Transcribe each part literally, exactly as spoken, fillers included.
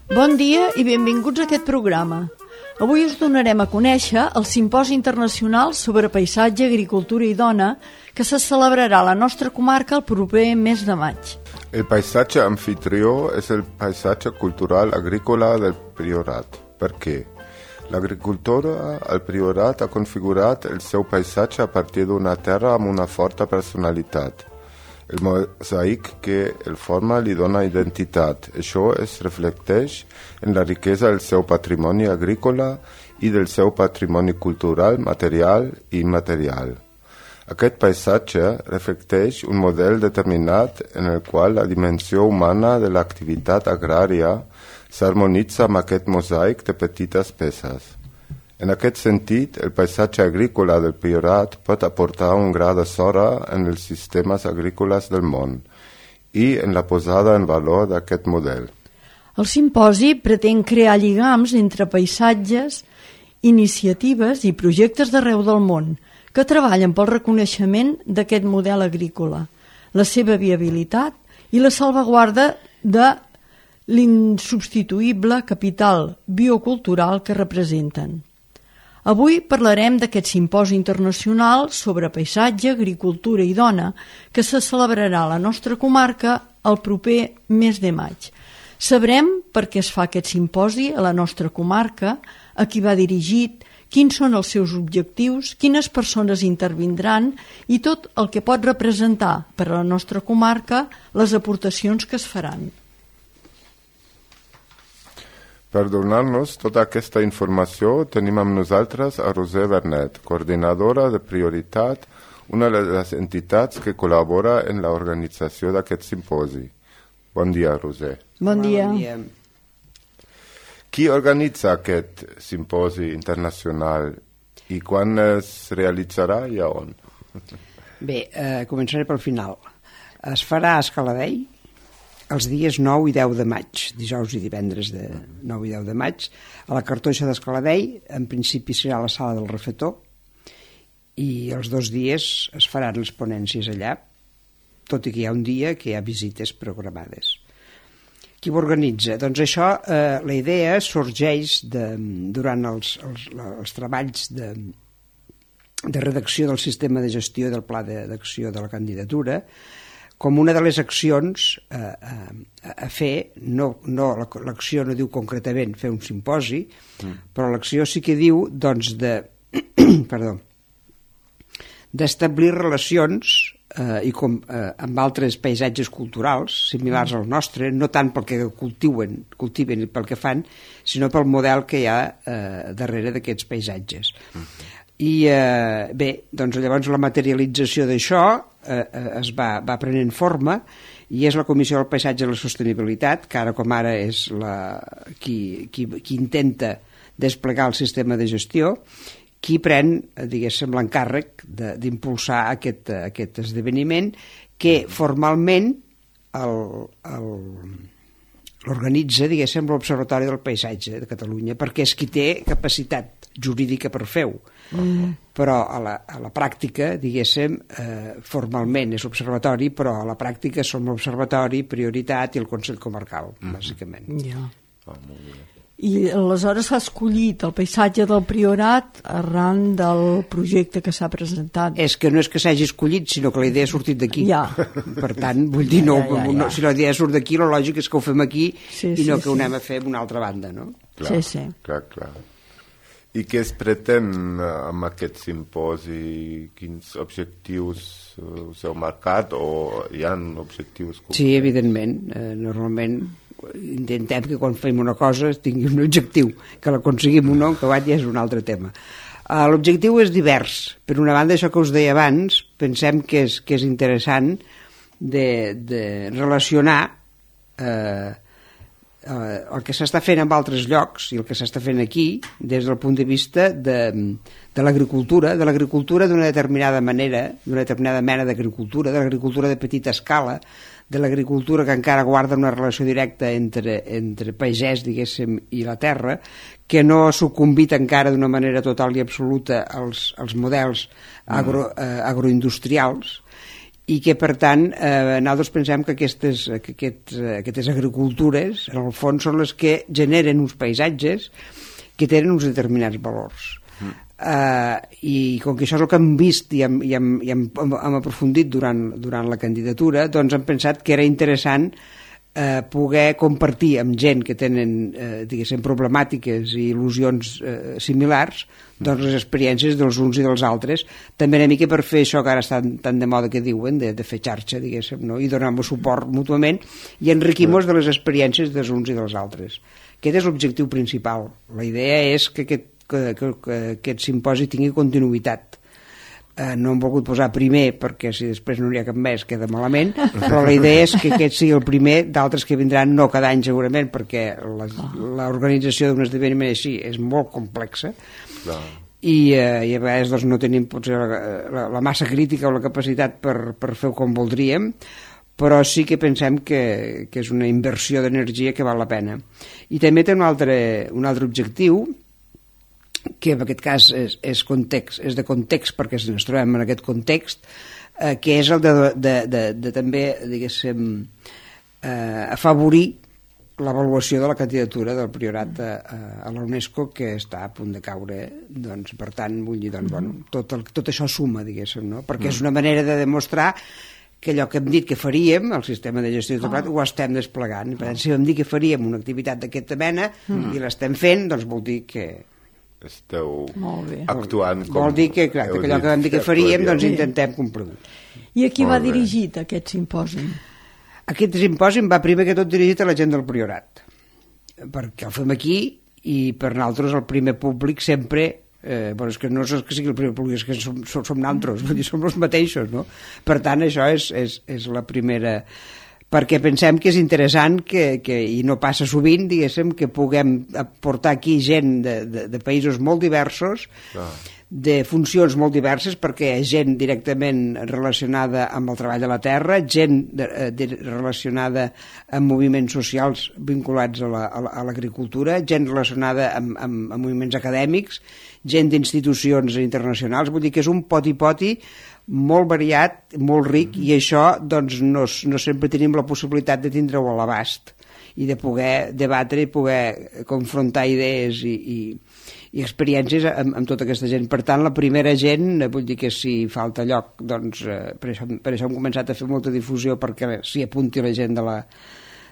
Bon dia i benvinguts a aquest programa. Avui us donarem a conèixer el Simposi Internacional sobre Paisatge, Agricultura i Dona que se celebrarà a la nostra comarca el proper mes de maig. El paisatge anfitrió és el paisatge cultural agrícola del Priorat. Per què? L'agricultura al Priorat ha configurat el seu paisatge a partir d'una terra amb una forta personalitat. El mosaic que el forma li dona identitat. Això es reflecteix en la riquesa del seu patrimoni agrícola i del seu patrimoni cultural, material i immaterial. Aquest paisatge reflecteix un model determinat en el qual la dimensió humana de l'activitat agrària s'harmonitza amb aquest mosaic de petites peces. En aquest sentit, el paisatge agrícola del Priorat pot aportar un gra de sorra en els sistemes agrícoles del món i en la posada en valor d'aquest model. El simposi pretén crear lligams entre paisatges, iniciatives i projectes d'arreu del món que treballen pel reconeixement d'aquest model agrícola, la seva viabilitat i la salvaguarda de l'insubstituïble capital biocultural que representen. Avui parlarem d'aquest simposi internacional sobre paisatge, agricultura i dona que se celebrarà a la nostra comarca el proper mes de maig. Sabrem per què es fa aquest simposi a la nostra comarca, a qui va dirigit, quins són els seus objectius, quines persones intervindran i tot el que pot representar per a la nostra comarca les aportacions que es faran. Per donar-nos tota aquesta informació tenim amb nosaltres a Roser Bernet, coordinadora de Prioritat, una de les entitats que col·labora en l'organització d'aquest simposi. Bon dia, Roser. Bon dia. Bon dia. Qui organitza aquest simposi internacional i quan es realitzarà i a on? Bé, eh, començaré pel final. Es farà a Escaladei els dies nou i deu de maig, dijous i divendres de nou i deu de maig, a la Cartoixa d'Escaladei. En principi serà a la sala del refetor i els dos dies es faran les ponències allà, tot i que hi ha un dia que hi ha visites programades. Qui ho organitza? Doncs això, eh, la idea sorgeix de, durant els, els, els treballs de, de redacció del sistema de gestió del pla d'acció de la candidatura, com una de les accions eh, a, a fer, no, no, l'acció no diu concretament fer un simposi, mm. però l'acció sí que diu doncs, de, perdó, d'establir relacions eh, i com, eh, amb altres paisatges culturals similars al nostre, no tant pel que cultiven, cultiven i pel que fan, sinó pel model que hi ha eh, darrere d'aquests paisatges. Mm. I eh, bé, doncs llavors la materialització d'això eh, es va, va prenent forma i és la Comissió del Paisatge i la Sostenibilitat, que ara com ara és la, qui, qui, qui intenta desplegar el sistema de gestió, qui pren, diguéssim, l'encàrrec d'impulsar aquest, aquest esdeveniment que formalment l'organitza, diguéssim, l'Observatori del Paisatge de Catalunya, perquè és qui té capacitat jurídica per fer-ho. Mm. Però a la, a la pràctica, diguéssim, eh, formalment és l'Observatori, però a la pràctica som l'Observatori, Prioritat i el Consell Comarcal, mm. bàsicament. Ja. Oh, molt bé. I aleshores s'ha escollit el paisatge del Priorat arran del projecte que s'ha presentat. És que no és que s'hagi escollit, sinó que la idea ha sortit d'aquí. Ja. Per tant, vull dir, no, ja, ja, ja. no, si la idea surt d'aquí, la lògica és que ho fem aquí sí, i no sí, que ho sí. anem a fer d'una altra banda, no? Clar, sí, sí. clar, clar. I què es pretén amb aquest simposi? Quins objectius us heu marcat o hi ha objectius concrets? Sí, evidentment. Eh, normalment intentem que quan fem una cosa tingui un objectiu, que l'aconseguim o no, que ja és un altre tema. Uh, l'objectiu és divers. Per una banda, això que us deia abans, pensem que és, que és interessant de, de relacionar eh, eh, el que s'està fent en altres llocs i el que s'està fent aquí des del punt de vista de, de l'agricultura, de l'agricultura d'una determinada manera, d'una determinada mena d'agricultura, de l'agricultura de petita escala, de l'agricultura que encara guarda una relació directa entre, entre pagès, diguéssim, i la terra, que no ha sucumbit encara d'una manera total i absoluta als, als models agro, eh, agroindustrials, i que, per tant, eh, nosaltres pensem que aquestes, que aquests, aquestes agricultures, en el fons, són les que generen uns paisatges que tenen uns determinats valors. Mm. Uh, I com que això és el que hem vist i hem, i hem, i hem, hem aprofundit durant, durant la candidatura, doncs hem pensat que era interessant eh, poder compartir amb gent que tenen, eh, diguéssim, problemàtiques i il·lusions eh, similars, doncs les experiències dels uns i dels altres, també una mica per fer això que ara està tan de moda que diuen, de, de fer xarxa, diguéssim, no? I donar-nos suport mútuament i enriquir-nos de les experiències dels uns i dels altres. Aquest és l'objectiu principal. La idea és que aquest, que, que, que aquest simposi tingui continuïtat. Eh, no hem volgut posar primer perquè si després no n'hi ha cap més queda malament, però la idea és que aquest sigui el primer d'altres que vindran, no cada any segurament, perquè l'organització d'un esdeveniment així és molt complexa. Clar. I, eh, i a vegades doncs, no tenim potser la, la, la massa crítica o la capacitat per, per fer-ho com voldríem, però sí que pensem que, que és una inversió d'energia que val la pena. I també té un altre, un altre objectiu, que en aquest cas és, és, context, és de context perquè ens trobem en aquest context, eh, que és el de, de, de, de també, diguéssim, eh, afavorir l'avaluació de la candidatura del Priorat a, a la UNESCO, que està a punt de caure. Doncs, per tant, vull dir, doncs, bueno, tot, el, tot això suma, diguéssim, no? Perquè és una manera de demostrar que allò que hem dit que faríem, el sistema de gestió de tot oh. ho estem desplegant. Per tant, si vam dir que faríem una activitat d'aquesta mena mm. i l'estem fent, doncs vol dir que esteu actuant com... Vol dir que, clar, que allò que vam dir que faríem, doncs intentem complir-ho. I a qui va dirigit aquest simposi? Aquest simposi va primer que tot dirigit a la gent del Priorat, perquè el fem aquí i per nosaltres el primer públic sempre, eh, bueno, és que no és que sigui el primer públic, és que som, som, som nosaltres, vull dir, som els mateixos, no? Per tant, això és, és, és la primera... perquè pensem que és interessant que, que, i no passa sovint, diguéssim, que puguem portar aquí gent de, de, de països molt diversos, ah. de funcions molt diverses, perquè hi ha gent directament relacionada amb el treball de la terra, gent de, de, relacionada amb moviments socials vinculats a l'agricultura, la, gent relacionada amb, amb, amb moviments acadèmics, gent d'institucions internacionals, vull dir que és un poti-poti molt variat, molt ric, i això doncs, no, no sempre tenim la possibilitat de tindre-ho a l'abast i de poder debatre i poder confrontar idees i, i, i experiències amb, amb tota aquesta gent. Per tant, la primera gent, vull dir que si falta lloc, doncs, eh, per, això, per això hem començat a fer molta difusió perquè s'hi apunti la gent de la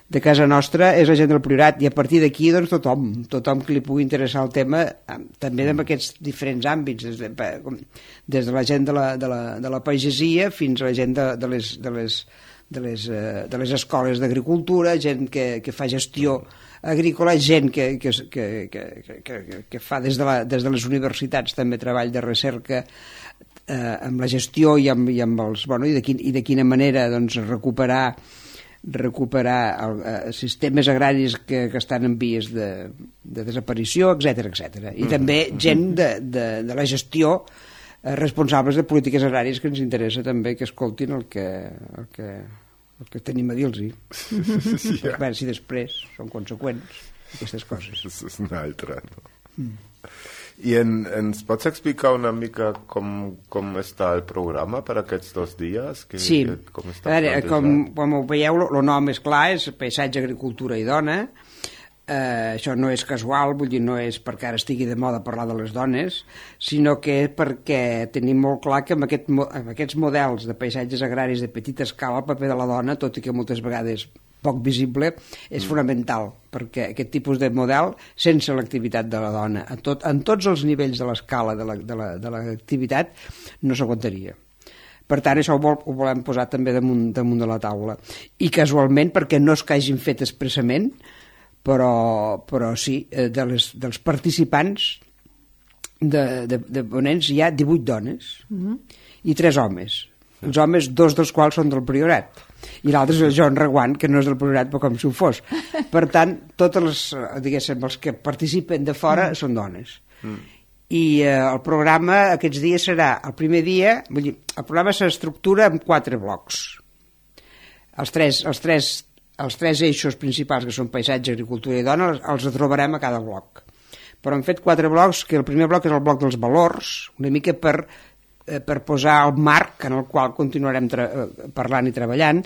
de casa nostra, és la gent del Priorat, i a partir d'aquí doncs, tothom, tothom que li pugui interessar el tema, també en aquests diferents àmbits, des de, des de la gent de la, de la, de la pagesia fins a la gent de, de, les, de, les, de, les, de les escoles d'agricultura, gent que, que fa gestió agrícola, gent que, que, que, que, que, que fa des de, la, des de les universitats també treball de recerca eh, amb la gestió i amb, i amb els... Bueno, i, de quin, i de quina manera doncs, recuperar recuperar el, eh, sistemes agraris que, que estan en vies de, de desaparició, etcètera, etcètera. I mm. també gent de, de, de la gestió eh, responsables de polítiques agràries que ens interessa també que escoltin el que, el que, el que tenim a dir-los. Sí, ja. A veure si després són conseqüents aquestes coses. És una altra, no? Mm. I en, ens pots explicar una mica com, com està el programa per aquests dos dies? Que, sí, que, com, està a veure, com, com ho veieu, el nom és clar, és paisatge, agricultura i dona. Eh, això no és casual, vull dir, no és perquè ara estigui de moda parlar de les dones, sinó que és perquè tenim molt clar que amb, aquest, amb aquests models de paisatges agraris de petita escala el paper de la dona, tot i que moltes vegades poc visible, és mm. fonamental, perquè aquest tipus de model, sense l'activitat de la dona, en, tot, en tots els nivells de l'escala de l'activitat, la, de la, no s'aguantaria. Per tant, això ho, vol, ho volem posar també damunt, damunt de la taula. I casualment, perquè no és que hagin fet expressament, però, però sí, de les, dels participants de, de, de ponents hi ha divuit dones mm-hmm. i tres homes. Els homes, dos dels quals són del Priorat, i l'altre és el Joan Reguant, que no és del Priorat, però com si ho fos. Per tant, tots els, diguéssim, els que participen de fora mm. són dones. Mm. I eh, el programa aquests dies serà, el primer dia, vull dir, el programa s'estructura en quatre blocs. Els tres, els, tres, els tres eixos principals, que són paisatge, agricultura i dona, els, els trobarem a cada bloc. Però hem fet quatre blocs, que el primer bloc és el bloc dels valors, una mica per eh, per posar el marc en el qual continuarem parlant i treballant,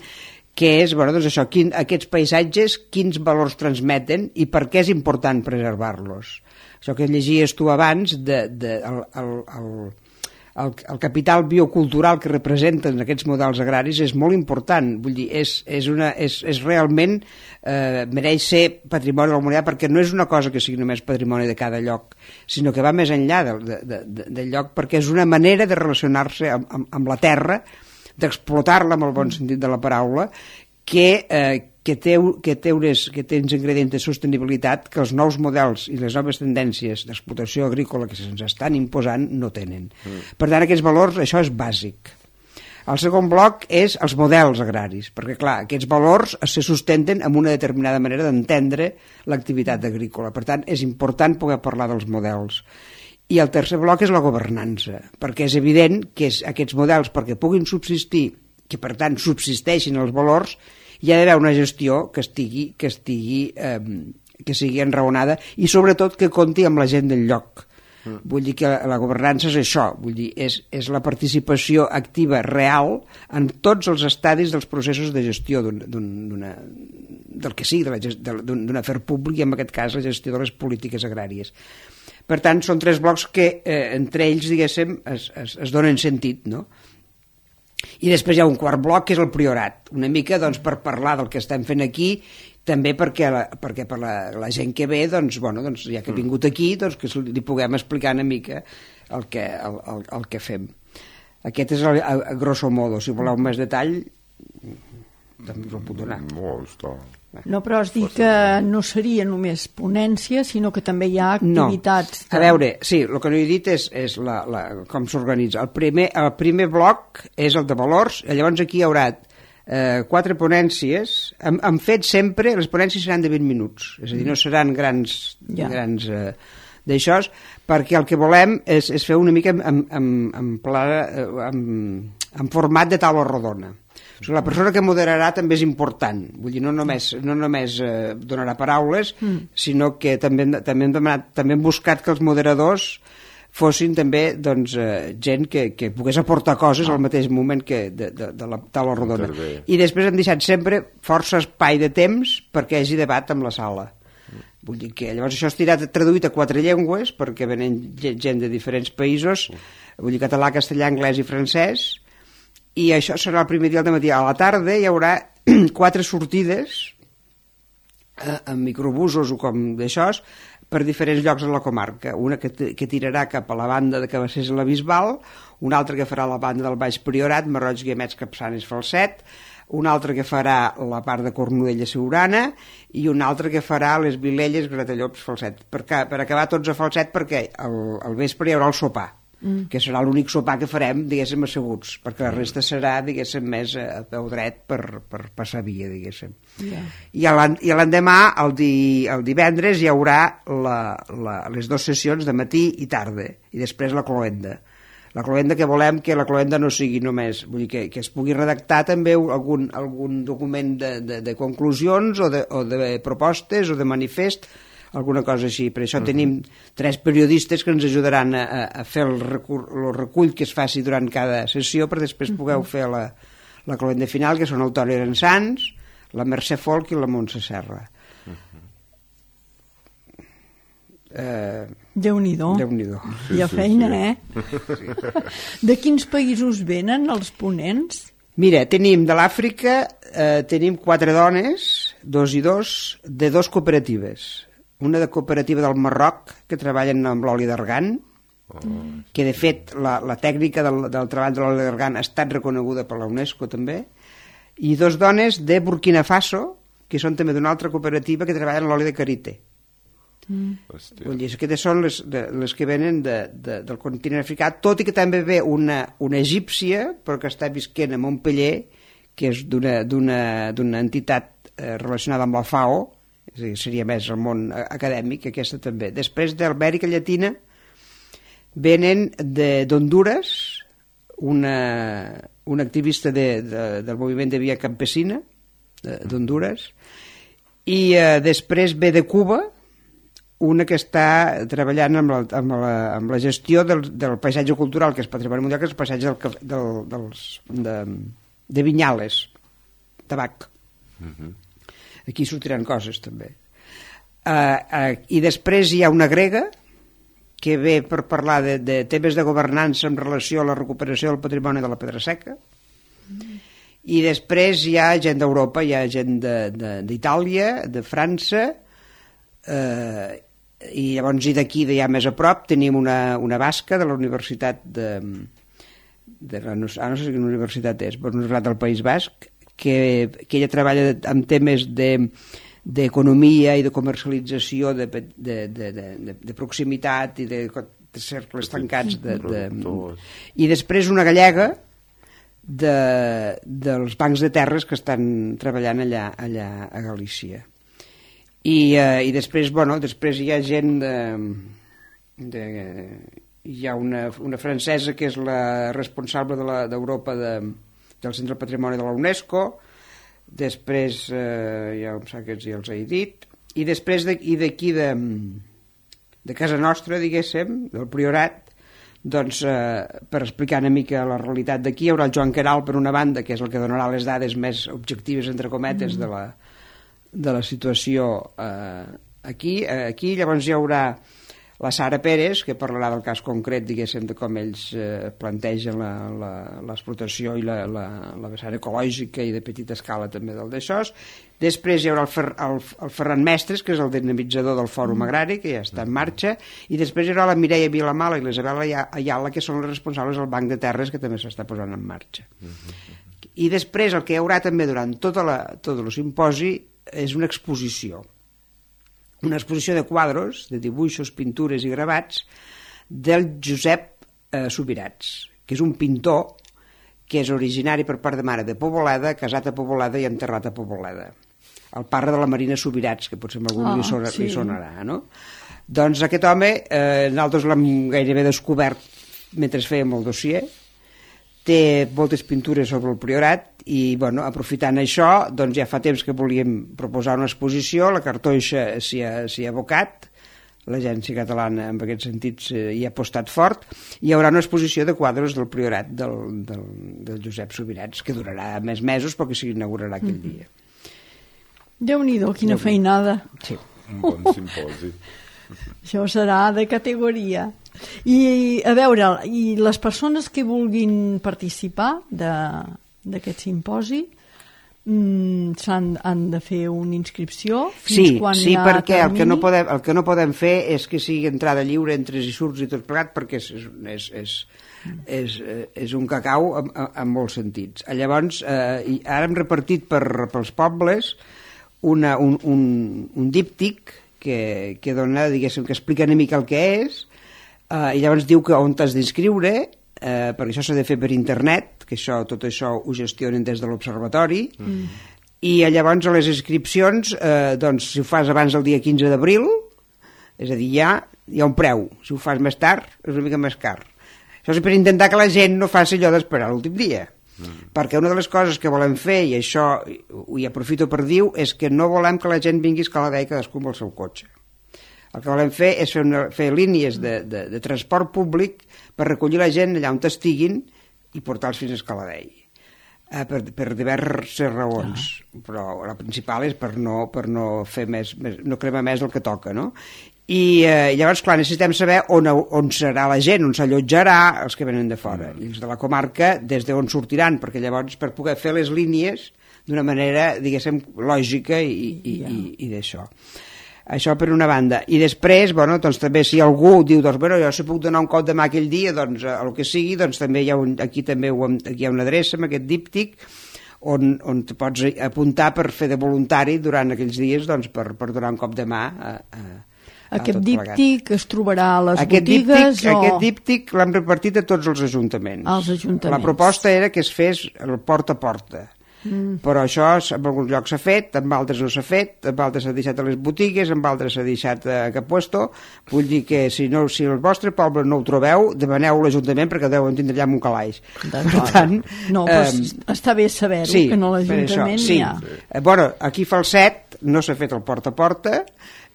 que és, bueno, doncs això, quin, aquests paisatges, quins valors transmeten i per què és important preservar-los. Això que llegies tu abans, de, de, el, el, el, el, el capital biocultural que representen aquests models agraris és molt important, vull dir, és, és, una, és, és realment, eh, mereix ser patrimoni de la humanitat, perquè no és una cosa que sigui només patrimoni de cada lloc, sinó que va més enllà del de, de, de, del lloc, perquè és una manera de relacionar-se amb, amb, amb la terra, d'explotar-la amb el bon sentit de la paraula, que, eh, que, té, que, té unes, que té uns ingredients de sostenibilitat que els nous models i les noves tendències d'explotació agrícola que se'ns estan imposant no tenen. Mm. Per tant, aquests valors, això és bàsic. El segon bloc és els models agraris, perquè, clar, aquests valors se sustenten amb una determinada manera d'entendre l'activitat agrícola. Per tant, és important poder parlar dels models. I el tercer bloc és la governança, perquè és evident que és, aquests models, perquè puguin subsistir, que per tant subsisteixin els valors, hi ha d'haver una gestió que estigui, que estigui, eh, que sigui enraonada i sobretot que compti amb la gent del lloc. Mm. Vull dir que la, la governança és això, vull dir, és, és la participació activa real en tots els estadis dels processos de gestió d'un, d'una, del que sigui, d'un afer públic, i en aquest cas la gestió de les polítiques agràries. Per tant, són tres blocs que eh, entre ells, diguéssim, es, es, es donen sentit, no? I després hi ha un quart bloc, que és el priorat, una mica doncs, per parlar del que estem fent aquí, també perquè, la, perquè per la, la gent que ve, doncs, bueno, doncs, ja que ha vingut aquí, doncs, que li puguem explicar una mica el que, el, el, el que fem. Aquest és el, a, a grosso modo. Si voleu més detall, també us ho puc donar. No, està... No, però has dit que no seria només ponència, sinó que també hi ha activitats. No. A veure, sí, el que no he dit és, és la, la, com s'organitza. El primer, el primer bloc és el de valors, i llavors aquí hi haurà eh, quatre ponències. Hem, hem fet sempre, les ponències seran de vint minuts, és a dir, no seran grans, ja. grans eh, d'això, perquè el que volem és, és fer una mica en, en, en, en, pla, en, en format de taula rodona. O sigui, la persona que moderarà també és important, vull dir, no només, no només eh, donarà paraules, mm. sinó que també, també, hem demanat, també hem buscat que els moderadors fossin també doncs, eh, gent que, que pogués aportar coses ah. al mateix moment que de, de, de la taula rodona. I després hem deixat sempre força espai de temps perquè hi hagi debat amb la sala. Mm. Vull dir que llavors això estirà traduït a quatre llengües perquè venen gent de diferents països, mm. vull dir català, castellà, anglès i francès, i això serà el primer dia del matí. A la tarda hi haurà quatre sortides eh, amb microbusos o com d'això per diferents llocs de la comarca, una que, que tirarà cap a la banda de Cabassers i la Bisbal, una altra que farà la banda del Baix Priorat, Marroig, Guiamets, Capçanes, Falset, una altra que farà la part de Cornudella, Siurana, i una altra que farà les Vilelles, Gratallops, Falset, per, per acabar tots a Falset, perquè al, al vespre hi haurà el sopar, Mm. que serà l'únic sopar que farem, diguéssim, asseguts, perquè la resta serà, diguéssim, més a peu dret per, per passar via, diguéssim. Yeah. I l'endemà, el, di, el divendres, hi haurà la, la, les dues sessions de matí i tarda, i després la cloenda. La cloenda que volem que la cloenda no sigui només, vull dir que, que es pugui redactar també algun, algun document de, de, de conclusions o de, o de propostes o de manifest, alguna cosa així. Per això uh-huh. tenim tres periodistes que ens ajudaran a, a fer el recull, el recull que es faci durant cada sessió, per després uh-huh. pugueu fer la, la cloenda final, que són el Toni Aransans, la Mercè Folk i la Montse Serra. Uh-huh. Eh, Déu-n'hi-do. Déu-n'hi-do. Sí, hi ha sí, feina, sí. eh? De quins països venen els ponents? Mira, tenim de l'Àfrica, eh, tenim quatre dones, dos i dos, de dos cooperatives. Una de cooperativa del Marroc, que treballen amb l'oli d'argan, oh. que de fet la, la tècnica del, del treball de l'oli d'argan ha estat reconeguda per la UNESCO també, i dos dones de Burkina Faso, que són també d'una altra cooperativa que treballen l'oli de karité. Mm. Vull dir, aquestes són les, de, les que venen de, de, del continent africà, tot i que també ve una, una egípcia, però que està visquent a Montpeller, que és d'una entitat eh, relacionada amb la FAO, és a dir, seria més el món acadèmic, aquesta també. Després d'Amèrica Llatina venen d'Honduras, una, una activista de, de, del moviment de Via Campesina d'Honduras, i eh, després ve de Cuba una que està treballant amb la, amb la, amb la gestió del, del paisatge cultural, que és patrimoni mundial, que és el paisatge del, del, dels, de, de vinyales, tabac. Uh-huh. Aquí sortiran coses, també. Uh, uh, I després hi ha una grega que ve per parlar de, de temes de governança en relació a la recuperació del patrimoni de la Pedra Seca. Mm. I després hi ha gent d'Europa, hi ha gent d'Itàlia, de, de França, eh, i llavors i d'aquí, d'allà més a prop, tenim una, una basca de la Universitat de... de la, no, ah, no sé quina universitat és, però una universitat del País Basc, que, que ella treballa amb temes de... d'economia i de comercialització de, de, de, de, de proximitat i de, de cercles tancats de, de... i després una gallega de, dels bancs de terres que estan treballant allà, allà a Galícia i, eh, i després, bueno, després hi ha gent de, de hi ha una, una francesa que és la responsable d'Europa de de, del Centre del Patrimoni de la UNESCO. Després, eh, ja em sap que ja els he dit, i després d'aquí de, de casa nostra, diguéssim, del Priorat, doncs, eh, per explicar una mica la realitat d'aquí, hi haurà el Joan Queralt, per una banda, que és el que donarà les dades més objectives, entre cometes, de la, de la situació eh, aquí. Eh, aquí llavors hi haurà la Sara Pérez, que parlarà del cas concret, diguéssim, de com ells eh, plantegen l'explotació i la, la, la vessant ecològica i de petita escala també del d'això. Després hi haurà el, Fer, el, el Ferran Mestres, que és el dinamitzador del Fòrum Agrari, que ja està en marxa, i després hi haurà la Mireia Vilamala i l'Isabel Ayala, que són les responsables del Banc de Terres, que també s'està posant en marxa. I després el que hi haurà també durant tota la, tot el simposi és una exposició. Una exposició de quadros, de dibuixos, pintures i gravats del Josep eh, Subirats, que és un pintor que és originari per part de mare de Poboleda, casat a Poboleda i enterrat a Poboleda. El pare de la Marina Subirats, que potser a algú oh, li, sona, sí. li sonarà, no? Doncs aquest home, eh, nosaltres l'hem gairebé descobert mentre fèiem el dossier, té moltes pintures sobre el Priorat i, bueno, aprofitant això, doncs ja fa temps que volíem proposar una exposició, la Cartoixa s'hi ha, s'hi ha abocat, l'Agència Catalana en aquest sentit hi ha apostat fort, i hi haurà una exposició de quadres del Priorat del, del, del Josep Subirats, que durarà més mesos perquè s'inaugurarà aquell mm. dia. Déu-n'hi-do, quina Déu feinada. Sí. Un bon simposi. Això serà de categoria. I a veure, i les persones que vulguin participar d'aquest simposi mm, han, han de fer una inscripció fins sí, quan sí, hi ha perquè el que, no podem, el que no podem fer és que sigui entrada lliure, entres i surts i tot plegat, perquè és, és, és, és, és un cacau en, en molts sentits. Llavors, eh, ara hem repartit per, pels pobles una, un, un, un díptic que, que dona, diguéssim, que explica una mica el que és. Uh, i llavors diu que on t'has d'inscriure, uh, perquè això s'ha de fer per internet, que això, tot això ho gestionen des de l'observatori, mm. i llavors a les inscripcions, uh, doncs, si ho fas abans del dia quinze d'abril, és a dir, ja hi ha un preu, si ho fas més tard és una mica més car. Això és per intentar que la gent no faci allò d'esperar l'últim dia, mm. perquè una de les coses que volem fer, i això ho hi aprofito per dir, és que no volem que la gent vingui a Escaladei cadascú amb el seu cotxe. El que volem fer és fer, una, fer línies de, de, de transport públic per recollir la gent allà on estiguin i portar-los fins a Escaladei, eh, per, per diverses raons, ah. però la principal és per no, per no fer més, més, no cremar més del que toca, no? I eh, llavors, clar, necessitem saber on, on serà la gent, on s'allotjarà els que venen de fora, mm. i els de la comarca des d'on sortiran, perquè llavors per poder fer les línies d'una manera, diguéssim, lògica i, i, yeah. i, i d'això. Això per una banda. I després, bueno, doncs també si algú diu, doncs, bueno, jo si puc donar un cop de mà aquell dia, doncs, a el que sigui, doncs també hi ha un, aquí també ho, aquí hi ha una adreça amb aquest díptic on, on te pots apuntar per fer de voluntari durant aquells dies, doncs, per, per donar un cop de mà a, a, a aquest díptic es trobarà a les aquest botigues díptic, o... Aquest díptic l'hem repartit a tots els ajuntaments. Els ajuntaments. La proposta era que es fes el porta a porta. Mm. Però això en alguns llocs s'ha fet, en altres no s'ha fet, en altres s'ha deixat a les botigues, en altres s'ha deixat a cap puesto. Vull dir que si, no, si el vostre poble no ho trobeu, demaneu a l'Ajuntament perquè deuen tindre allà un calaix. Per tant, no, però eh, està bé saber-ho, sí, que no l'Ajuntament sí. n'hi ha. Eh, bueno, aquí Falset no s'ha fet el porta a porta,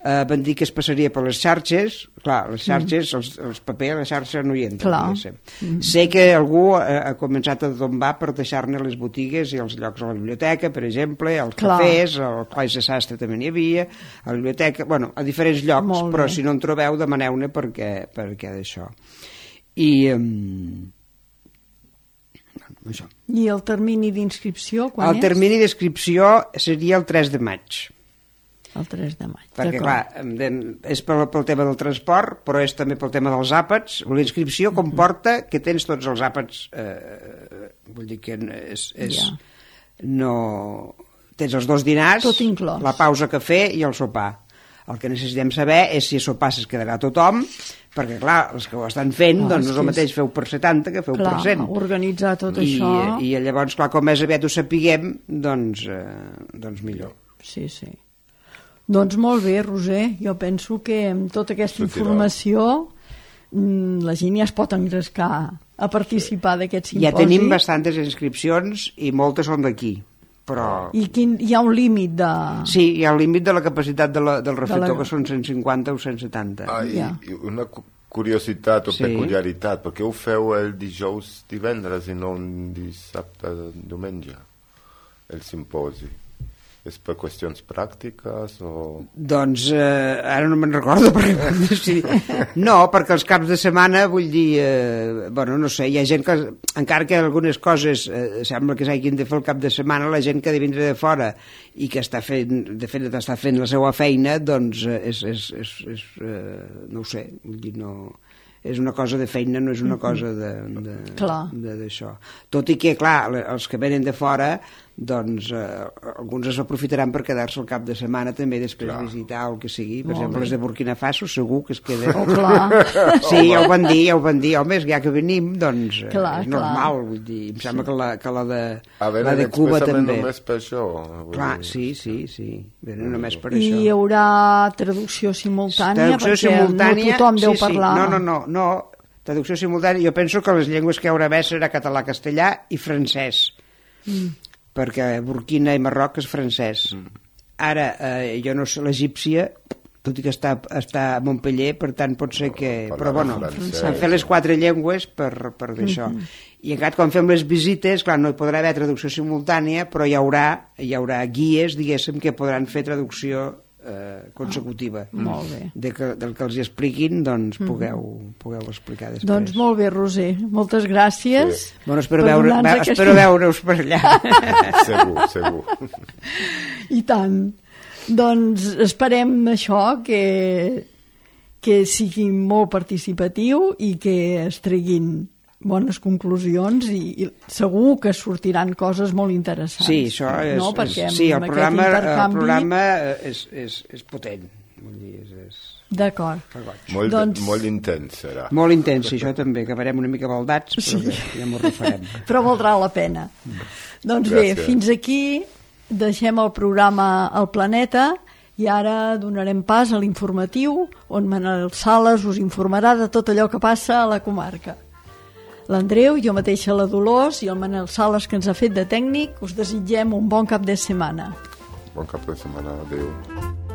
eh, van dir que es passaria per les xarxes. Clar, les xarxes, mm. els, els papers a la xarxa no hi entren. Mm. Sé que algú ha, ha començat a tombar per deixar-ne les botigues i els llocs a la biblioteca, per exemple, als Clar. cafès, al Claix de Sastre també n'hi havia, a la biblioteca, bueno, a diferents llocs, però si no en trobeu, demaneu-ne perquè, perquè d'això. I... Um, això. I el termini d'inscripció quan el és? El termini d'inscripció seria el tres de maig. El tres de maig. Perquè, clar, és pel, pel tema del transport, però és també pel tema dels àpats. La inscripció comporta que tens tots els àpats, eh, vull dir que és... és ja. no... Tens els dos dinars, la pausa cafè i el sopar. El que necessitem saber és si a sopar es quedarà tothom, perquè, clar, els que ho estan fent, ah, doncs no és el mateix feu per setanta que feu clar, per cent. Organitzar tot I, això... I llavors, clar, com més aviat ho sapiguem, doncs, eh, doncs millor. Sí, sí. Doncs molt bé, Roser, jo penso que amb tota aquesta informació la gent ja es pot engrescar a participar sí. d'aquest simposi. Ja tenim bastantes inscripcions i moltes són d'aquí. Però... I quin, hi ha un límit de... Sí, hi ha un límit de la capacitat de la, del reflector, de la... que són cent cinquanta o cent setanta. Ah, i, yeah. i una curiositat o sí. peculiaritat, per què ho feu el dijous divendres i no un dissabte diumenge, el simposi? És per qüestions pràctiques o...? Doncs eh, ara no me'n recordo perquè sí. No, perquè els caps de setmana vull dir, eh, bueno, no sé, hi ha gent que encara que algunes coses eh, sembla que s'hagin de fer el cap de setmana, la gent que ha de vindre de fora i que està fent, de fet està fent la seva feina, doncs eh, és, és, és, és eh, no ho sé, vull dir, no... és una cosa de feina, no és una cosa d'això. Tot i que, clar, els que venen de fora, doncs eh, alguns es aprofitaran per quedar-se el cap de setmana també després clar. visitar o el que sigui. Per Molt exemple, bé. les de Burkina Faso segur que es queden. Oh, clar. Sí, ja ho van dir, ja ho van dir. Home, ja que venim, doncs clar, és normal. Vull dir, em sembla sí. que, la, que la de, a veure, la de Cuba també. Només per això. Clar, dir. sí, sí, sí. Venen només per I això. I hi haurà traducció simultània? Traducció perquè simultània, no tothom sí, deu sí. parlar. No, no, no, no. Traducció simultània, jo penso que les llengües que hi haurà bé serà català, castellà i francès. Mm. Perquè Burkina i Marroc és francès. Mm. Ara, eh, jo no sé, l'egípcia, tot i que està, està a Montpellier, per tant pot ser que... No, però bueno, han fet les quatre llengües per, per d'això. Mm -hmm. I encara quan fem les visites, clar, no hi podrà haver traducció simultània, però hi haurà, hi haurà guies, diguéssim, que podran fer traducció eh, consecutiva. Oh, molt bé. De que, del que els hi expliquin, doncs pugueu, pugueu explicar després. Doncs molt bé, Roser, moltes gràcies. Sí. Bueno, espero veure, ve, espero veure-us per allà. Segur, segur. I tant. Doncs esperem això, que, que sigui molt participatiu i que es treguin bones conclusions i, i segur que sortiran coses molt interessants. Sí, això és... No? Perquè sí, el programa, intercanvi... el programa és, és, és potent. Vull dir, és... és... D'acord. Molt, doncs... molt intens serà. Molt intens, això també, acabarem una mica baldats, però sí. bé, ja m'ho refarem. Però valdrà la pena. Doncs Gràcies. bé, fins aquí deixem el programa al Planeta i ara donarem pas a l'informatiu on Manel Sales us informarà de tot allò que passa a la comarca. L'Andreu, jo mateixa la Dolors i el Manel Sales que ens ha fet de tècnic us desitgem un bon cap de setmana. Bon cap de setmana, adéu.